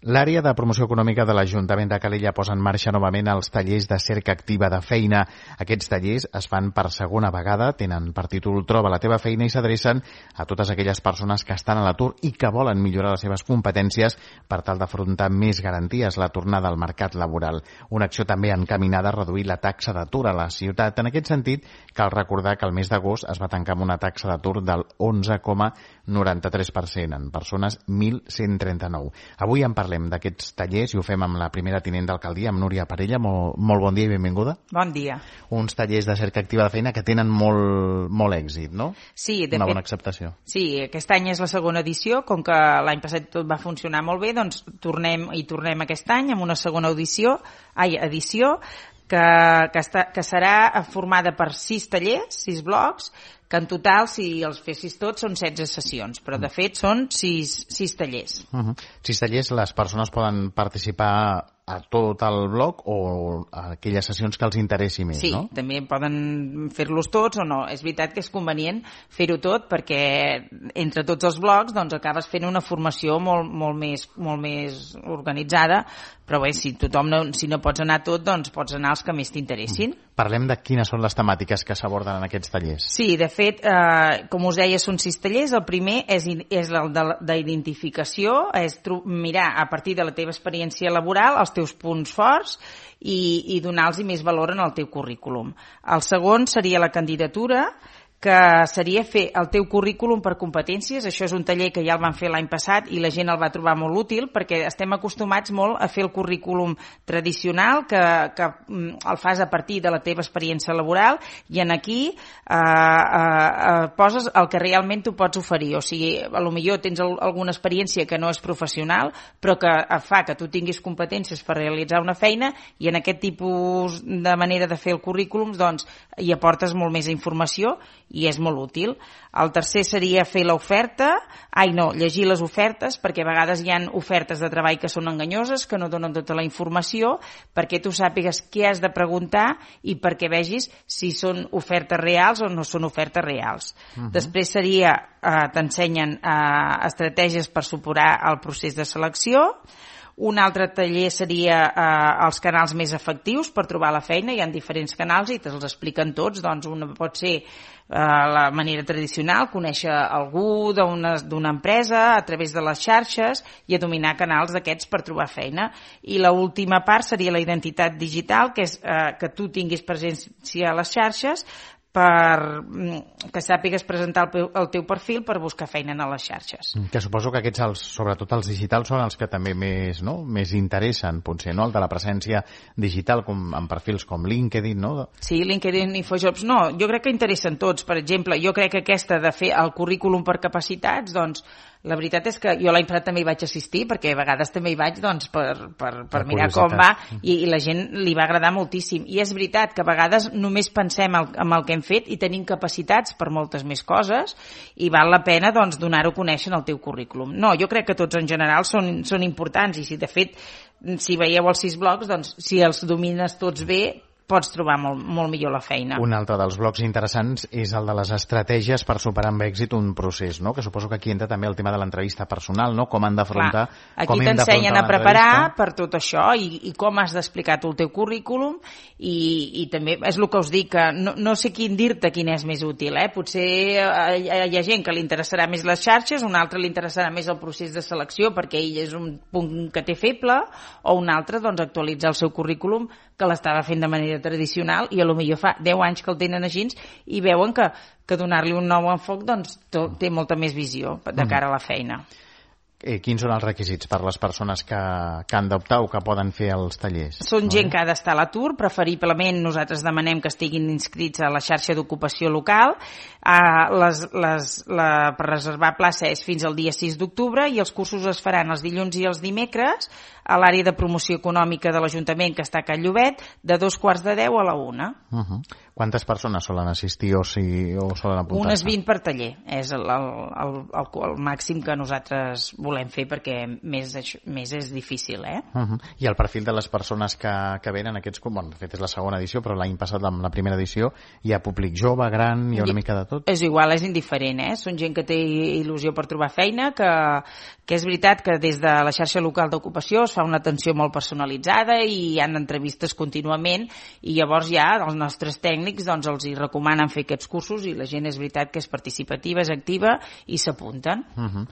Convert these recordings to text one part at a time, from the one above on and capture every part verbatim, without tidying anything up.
L'àrea de promoció econòmica de l'Ajuntament de Calella posa en marxa novament els tallers de cerca activa de feina. Aquests tallers es fan per segona vegada, tenen per títol Troba la teva feina i s'adrecen a totes aquelles persones que estan a l'atur i que volen millorar les seves competències per tal d'afrontar més garanties la tornada al mercat laboral. Una acció també encaminada a reduir la taxa d'atur a la ciutat. En aquest sentit, cal recordar que el mes d'agost es va tancar amb una taxa d'atur del onze coma noranta-tres per cent en persones mil cent trenta-nou. Avui en parlem d'aquests tallers i ho fem amb la primera tinent d'alcaldia, amb Núria Parella. Molt, molt bon dia i benvinguda. Bon dia. Uns tallers de cerca activa de feina que tenen molt, molt èxit, no? Sí, de Una fet, bona acceptació. Sí, aquest any és la segona edició. Com que l'any passat tot va funcionar molt bé, doncs tornem i tornem aquest any amb una segona audició, ai, edició que, que, està, que serà formada per sis tallers, sis blocs, que en total, si els fessis tots, són setze sessions, però de fet són sis, sis tallers. Uh-huh. Sis tallers, les persones poden participar a tot el bloc o a aquelles sessions que els interessi més, sí, no? Sí, també poden fer-los tots o no. És veritat que és convenient fer-ho tot perquè entre tots els blocs doncs, acabes fent una formació molt, molt, més, molt més organitzada, però bé, si tothom no, si no pots anar tot, doncs pots anar als que més t'interessin. Mm. Parlem de quines són les temàtiques que s'aborden en aquests tallers. Sí, de fet, eh, com us deia, són sis tallers. El primer és, és el d'identificació, és mirar a partir de la teva experiència laboral els teus punts forts i, i donar-los més valor en el teu currículum. El segon seria la candidatura, que seria fer el teu currículum per competències. Això és un taller que ja el van fer l'any passat i la gent el va trobar molt útil perquè estem acostumats molt a fer el currículum tradicional que, que el fas a partir de la teva experiència laboral i en aquí eh, eh, poses el que realment tu pots oferir. O sigui, a lo millor tens alguna experiència que no és professional però que fa que tu tinguis competències per realitzar una feina i en aquest tipus de manera de fer el currículum doncs hi aportes molt més informació i és molt útil. El tercer seria fer l'oferta, ai no, llegir les ofertes, perquè a vegades hi ha ofertes de treball que són enganyoses, que no donen tota la informació, perquè tu sàpigues què has de preguntar i perquè vegis si són ofertes reals o no són ofertes reals. Uh-huh. Després seria, eh, t'ensenyen eh, estratègies per superar el procés de selecció. Un altre taller seria eh, els canals més efectius per trobar la feina. Hi ha diferents canals i te'ls expliquen tots. Doncs una pot ser eh, la manera tradicional, conèixer algú d'una d'una empresa a través de les xarxes i a dominar canals d'aquests per trobar feina. I l'última part seria la identitat digital, que és eh, que tu tinguis presència a les xarxes per que sàpigues presentar el, el teu perfil per buscar feina a les xarxes. Que suposo que aquests, els, sobretot els digitals, són els que també més, no? més interessen, potser, no? El de la presència digital com, en perfils com LinkedIn, no? Sí, LinkedIn, InfoJobs, no, jo crec que interessen tots. Per exemple, jo crec que aquesta de fer el currículum per capacitats, doncs, la veritat és que jo l'any passat també hi vaig assistir, perquè a vegades també hi vaig doncs, per, per, per mirar com va, i, i la gent li va agradar moltíssim. I és veritat que a vegades només pensem el, en el que hem fet i tenim capacitats per moltes més coses i val la pena doncs, donar-ho a conèixer en el teu currículum. No, jo crec que tots en general són, són importants i si de fet, si veieu els sis blocs, doncs si els domines tots bé, pots trobar molt, molt millor la feina. Un altre dels blocs interessants és el de les estratègies per superar amb èxit un procés, no? Que suposo que aquí entra també el tema de l'entrevista personal, no? Com han d'afrontar... Aquí t'ensenyen a preparar per tot això i, i com has d'explicar tu el teu currículum i, i també és el que us dic, que no, no sé quin dir-te quin és més útil, eh? Potser hi ha, hi ha gent que li interessarà més les xarxes, un altre li interessarà més el procés de selecció perquè ell és un punt que té feble, o un altre doncs, actualitzar el seu currículum que l'estava fent de manera tradicional i a lo millor fa deu anys que el tenen així i veuen que, que donar-li un nou enfoc doncs, té molta més visió de cara a la feina. Eh, quins són els requisits per les persones que, que han d'optar o que poden fer els tallers? Són gent que ha d'estar a l'atur, preferiblement nosaltres demanem que estiguin inscrits a la xarxa d'ocupació local. Uh, les, les, la, per reservar plaça és fins al dia sis d'octubre i els cursos es faran els dilluns i els dimecres a l'àrea de promoció econòmica de l'Ajuntament que està a Can Llobet de dos quarts de deu a la una. Uh-huh. Quantes persones solen assistir o, si, o solen apuntar-se? Unes vint per taller, és el, el, el, el màxim que nosaltres volem fer, perquè més, més és difícil, eh? Uh-huh. I el perfil de les persones que, que venen aquests... Bueno, de fet és la segona edició, però l'any passat, amb la primera edició, hi ha públic jove, gran, hi ha una I, mica de tot? És igual, és indiferent, eh? Són gent que té il·lusió per trobar feina, que, que és veritat que des de la xarxa local d'ocupació es fa una atenció molt personalitzada i hi ha entrevistes contínuament, i llavors ja els nostres tècnics doncs, els hi recomanen fer aquests cursos, i la gent és veritat que és participativa, és activa i s'apunten. Uh-huh.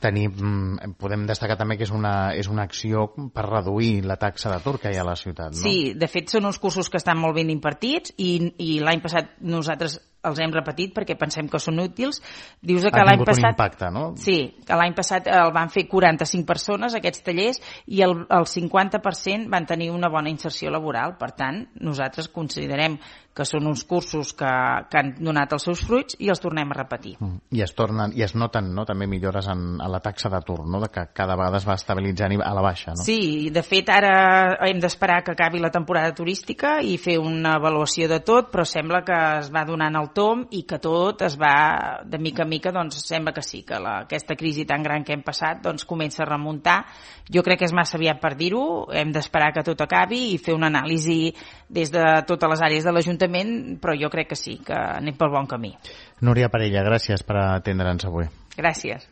Tenim, podem destacar també que és una, és una acció per reduir la taxa d'atur que hi ha a la ciutat, no? Sí, de fet són uns cursos que estan molt ben impartits, i, i l'any passat nosaltres els hem repetit perquè pensem que són útils. Dius que l'any passat... un impacte, no? Sí, que l'any passat el van fer quaranta-cinc persones, aquests tallers, i el, el cinquanta per cent van tenir una bona inserció laboral. Per tant, nosaltres considerem que són uns cursos que, que han donat els seus fruits i els tornem a repetir. Mm. I es tornen, i es noten, no?, també millores en, en la taxa d'atur, no?, de que cada vegada es va estabilitzant a la baixa, no? Sí, de fet ara hem d'esperar que acabi la temporada turística i fer una avaluació de tot, però sembla que es va donant el tom i que tot es va, de mica en mica, doncs sembla que sí, que la, aquesta crisi tan gran que hem passat doncs comença a remuntar. Jo crec que és massa aviat per dir-ho, hem d'esperar que tot acabi i fer una anàlisi des de totes les àrees de l'Ajuntament, però jo crec que sí, que anem pel bon camí. Núria Parella, gràcies per atendre'ns avui. Gràcies.